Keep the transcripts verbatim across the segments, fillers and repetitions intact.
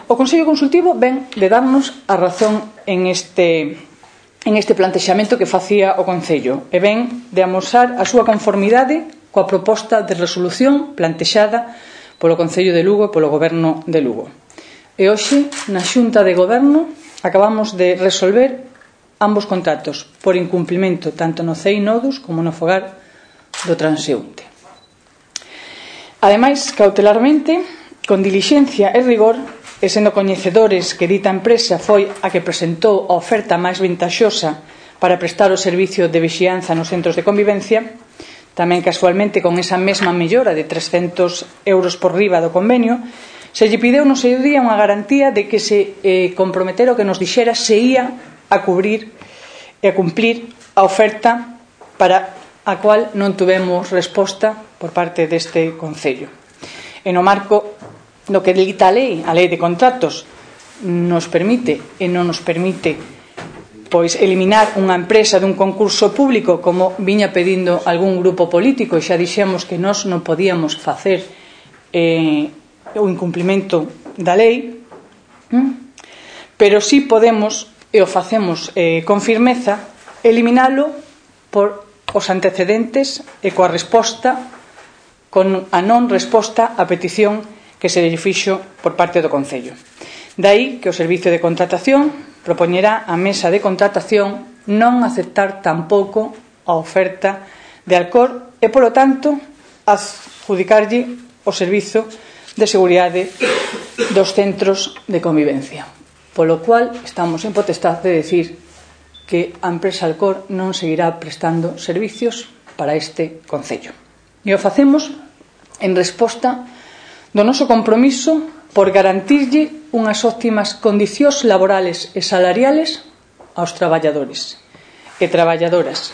O Consello Consultivo ven de darnos a razón en este, en este plantexamento que facía o Concello e ven de amosar a súa conformidade coa proposta de resolución plantexada polo Concello de Lugo e polo Goberno de Lugo. E hoxe, na Xunta de Goberno, acabamos de resolver ambos contratos por incumplimento tanto no C E I Nodus como no fogar do transeúnte. Ademais, cautelarmente, con dilixencia e rigor, e sendo coñecedores que dita empresa foi a que presentou a oferta máis ventaxosa para prestar o servicio de vixianza nos centros de convivencia, tamén casualmente con esa mesma mellora de trescentos euros por riba do convenio, se lle pideu no seu día unha garantía de que se eh, comprometera o que nos dixera se ia a cubrir e a cumprir a oferta para a cual non tuvemos resposta por parte deste Concello. E no marco do que dita a lei, a lei de contratos, nos permite e non nos permite pois eliminar unha empresa dun concurso público como viña pedindo algún grupo político e xa dixemos que nós non podíamos facer eh, o incumplimento da lei, pero sí podemos, e o facemos eh, con firmeza, eliminalo por os antecedentes e coa resposta, con a non resposta á petición que se lle fixo por parte do Concello. Dai que o Servicio de Contratación propoñerá á mesa de contratación non aceptar tampouco a oferta de Alcor e, polo tanto, adjudicarlle o servizo de seguridade dos centros de convivencia. Polo cual, estamos en potestad de decir que a empresa Alcor non seguirá prestando servicios para este Concello. E o facemos en resposta do noso compromiso por garantirlle unhas óptimas condicións laborales e salariales aos traballadores e traballadoras.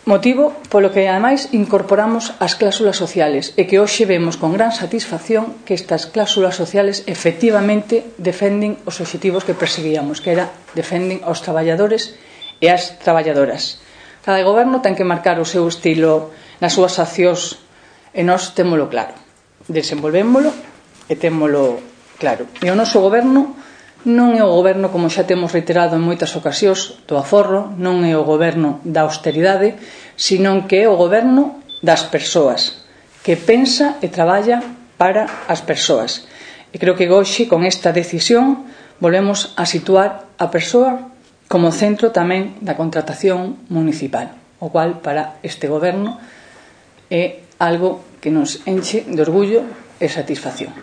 Motivo polo que, ademais, incorporamos as cláusulas sociales e que hoxe vemos con gran satisfacción que estas cláusulas sociales efectivamente defenden os obxectivos que perseguíamos, que era defenden aos traballadores e as traballadoras. Cada goberno ten que marcar o seu estilo nas súas accións e nós témolo claro, desenvolvémolo e témolo claro. E o noso goberno non é o goberno, como xa temos reiterado en moitas ocasións, do aforro, non é o goberno da austeridade, senón que é o goberno das persoas, que pensa e traballa para as persoas. E creo que hoxe, con esta decisión, volvemos a situar a persoa como centro tamén da contratación municipal, o cual para este goberno é algo que nos enche de orgullo e satisfacción.